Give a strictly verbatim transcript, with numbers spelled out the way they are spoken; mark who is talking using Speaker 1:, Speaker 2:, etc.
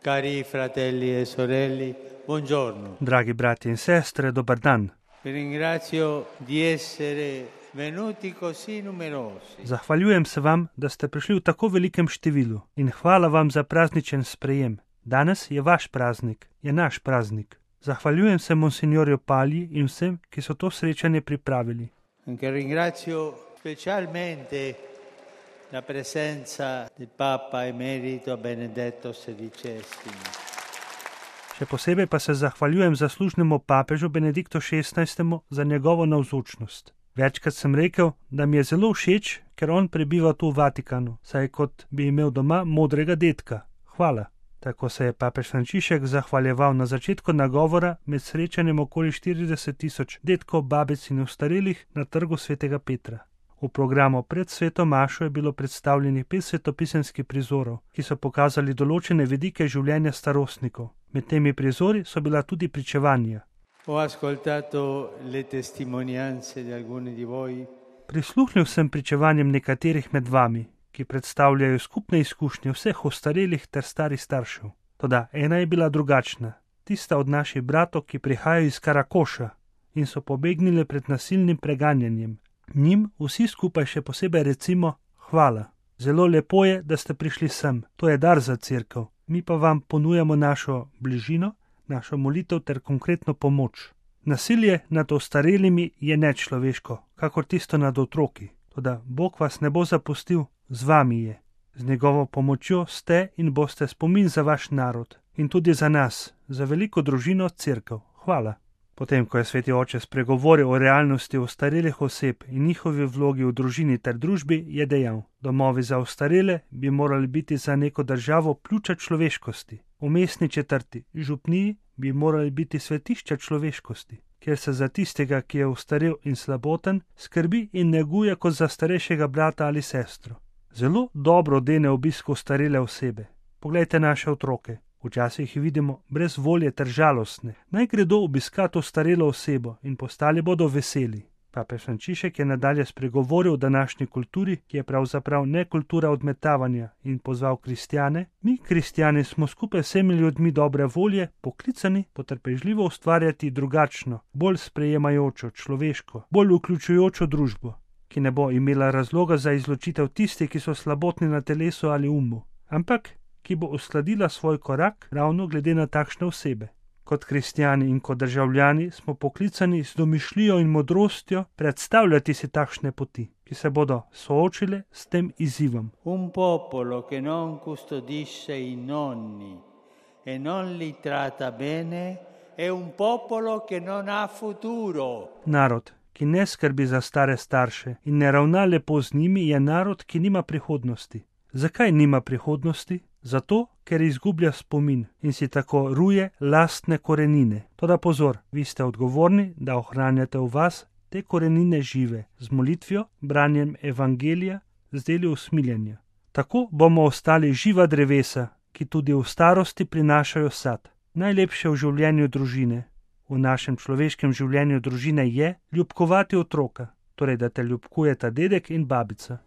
Speaker 1: Cari fratelli e sorelle, buongiorno.
Speaker 2: Dragi brati in sestre, dobar dan.
Speaker 1: Vi ringrazio di essere venuti così numerosi.
Speaker 2: Zahvaljujem se vam, da ste prišli v tako velikem številu in hvala vam za prazničen sprejem. Danes je vaš praznik, je naš praznik. Zahvaljujem se monsignorju Palji in vsem, ki so to srečanje pripravili.
Speaker 1: Anche ringrazio specialmente la presenza del Papa Emerito Benedetto sedicesimo.
Speaker 2: Še posebej pa se zahvaljujem zaslužnemu papežu Benediktu šestnajstemu za njegovo navzočnost. Večkrat sem rekel, da mi je zelo všeč, ker on prebiva tu v Vatikanu, saj kot bi imel doma modrega dedka. Hvala. Tako se je papež Frančišek zahvaljeval na začetku nagovora med srečanjem okoli štirideset tisoč dedkov, babic in ostarelih na trgu svetega Petra. V programu pred sveto mašo je bilo predstavljenih pet svetopisemskih prizorov, ki so pokazali določene vidike življenja starostnikov. Med temi prizori so bila tudi pričevanja.
Speaker 1: Ho ascoltato le testimonianze di alcuni di voi.
Speaker 2: Prisluhnil sem pričevanjem nekaterih med vami, ki predstavljajo skupne izkušnje vseh ostarelih ter starih staršev. Toda ena je bila drugačna, tista od naših bratov, ki prihajajo iz Karakoša in so pobegnili pred nasilnim preganjanjem. Njim vsi skupaj še posebej recimo hvala. Zelo lepo je, da ste prišli sem, to je dar za cerkev. Mi pa vam ponujamo našo bližino, našo molitev ter konkretno pomoč. Nasilje nad ostarelimi je nečloveško, kakor tisto nad otroki. Toda Bog vas ne bo zapustil, z vami je. Z njegovo pomočjo ste in boste spomin za vaš narod in tudi za nas, za veliko družino cerkev. Hvala. Potem, ko je sveti oče spregovoril o realnosti ostarelih oseb in njihovi vlogi v družini ter družbi, je dejal: domovi za ostarele bi morali biti za neko državo pljuča človeškosti. V mestni četrti, župniji, bi morali biti svetišča človeškosti, kjer se za tistega, ki je ostarel in slaboten, skrbi in neguje kot za starejšega brata ali sestro. Zelo dobro dene obisk ostarele osebe. Poglejte naše otroke. Včasih jih vidimo brez volje ter žalostne. Naj gredo obiskat ostarelo osebo in postali bodo veseli. Papež Frančišek je nadalje spregovoril o današnji kulturi, ki je pravzaprav ne kultura odmetavanja, in pozval kristjane: mi, kristjani, smo skupaj s vsemi ljudmi dobre volje poklicani potrpežljivo ustvarjati drugačno, bolj sprejemajočo, človeško, bolj vključujočo družbo, ki ne bo imela razloga za izločitev tistih, ki so slabotni na telesu ali umu, ampak ki bo uskladila svoj korak ravno glede na takšne osebe. Kot kristjani in kot državljani smo poklicani z domišljijo in modrostjo predstavljati si takšne poti, ki se bodo soočile s tem izzivom.
Speaker 1: Un popolo che non custodisce i nonni e non li tratta bene è un popolo che non ha futuro.
Speaker 2: Narod, ki ne skrbi za stare starše in ne ravna lepo z njimi, je narod, ki nima prihodnosti. Zakaj nima prihodnosti? Zato, ker izgublja spomin in si tako ruje lastne korenine. Toda pozor, vi ste odgovorni, da ohranjate v vas te korenine žive, z molitvijo, branjem evangelija, z deli usmiljenja. Tako bomo ostali živa drevesa, ki tudi v starosti prinašajo sad. Najlepše v življenju družine, v našem človeškem življenju družine je ljubkovati otroka, torej da te ljubkujeta dedek in babica.